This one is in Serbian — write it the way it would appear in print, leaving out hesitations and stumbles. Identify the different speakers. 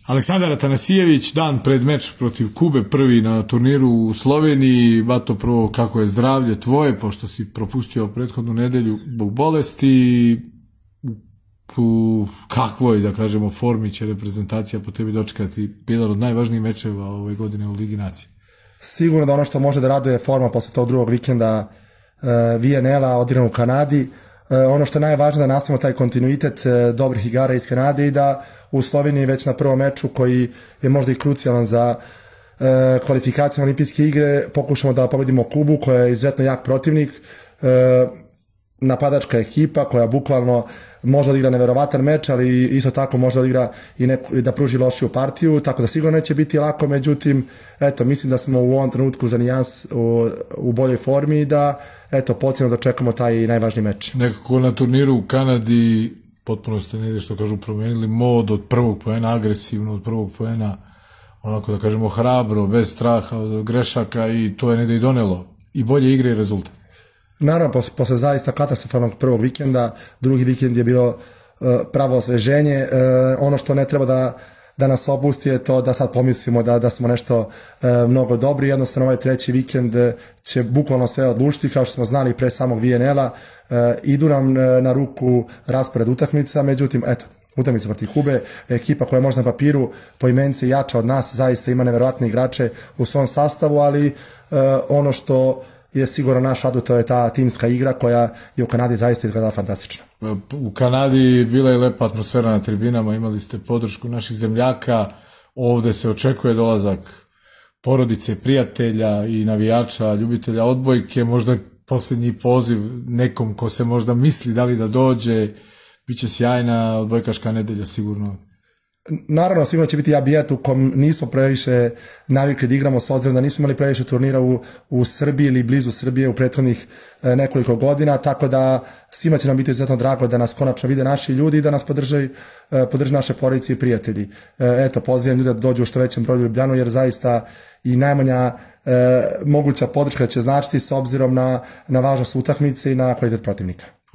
Speaker 1: Aleksandar Atanasijević, dan pred meč protiv Kube, prvi na turniru u Sloveniji. Bato, prvo, kako je zdravlje tvoje, pošto si propustio prethodnu nedelju zbog bolesti? U kakvoj, da kažemo, formi će reprezentacija po tebi dočekati jedan od najvažnijih mečeva ove godine u Ligi nacije?
Speaker 2: Sigurno da ono što može da raduje forma posle tog drugog vikenda VNL-a odiran u Kanadi. Ono što je najvažnije da nastavimo taj kontinuitet dobrih igara iz Kanade i da u Sloveniji već na prvom meču, koji je možda i krucijalan za kvalifikacije olimpijske igre, pokušamo da pobedimo Kubu, koja je izuzetno jak protivnik, napadačka ekipa koja bukvalno može da igra neverovatan meč, ali isto tako može da igra i da pruži lošiju partiju, tako da sigurno neće biti lako. Međutim, eto, mislim da smo u ovom trenutku za nijans u boljoj formi i da, eto, potrebno da čekamo taj najvažniji meč.
Speaker 1: Nekako na turniru u Kanadi potpuno ste negdje, što kažu, promenili mod od prvog poena, agresivno od prvog poena, onako da kažemo hrabro, bez straha od grešaka, i to je negdje i donelo i bolje igre i rezultat.
Speaker 2: Naravno, posle zaista katastrofalnog prvog vikenda, drugi vikend je bilo pravo osveženje. Ono što ne treba da nas opusti je to da sad pomislimo da smo nešto mnogo dobri. Jednostavno, ovaj treći vikend će bukvalno sve odlučiti, kao što smo znali pre samog VNL-a. Idu nam na ruku raspored utakmica, međutim, eto, utakmica protiv Kube, ekipa koja je možda na papiru po imenici jača od nas, zaista ima neverovatne igrače u svom sastavu, ali ono što je sigurno naš adut, to je ta timska igra koja je u Kanadi zaista izgledala fantastično.
Speaker 1: U Kanadi bila je lepa atmosfera na tribinama, imali ste podršku naših zemljaka, ovde se očekuje dolazak porodice, prijatelja i navijača, ljubitelja odbojke, možda posljednji poziv nekom ko se možda misli da li da dođe, bit će sjajna odbojkaška nedelja sigurno.
Speaker 2: Naravno, sigurno će biti ambijent u kom nismo previše navikli da igramo, s obzirom da nismo imali previše turnira u Srbiji ili blizu Srbije u prethodnih nekoliko godina, tako da svima će nam biti izuzetno drago da nas konačno vide naši ljudi i da nas podrže naše porodice i prijatelji. Eto, pozivam ljude da dođu u što većem broju u Ljubljanu, jer zaista i najmanja moguća podrška će značiti s obzirom na važnost utakmice i na kvalitet protivnika.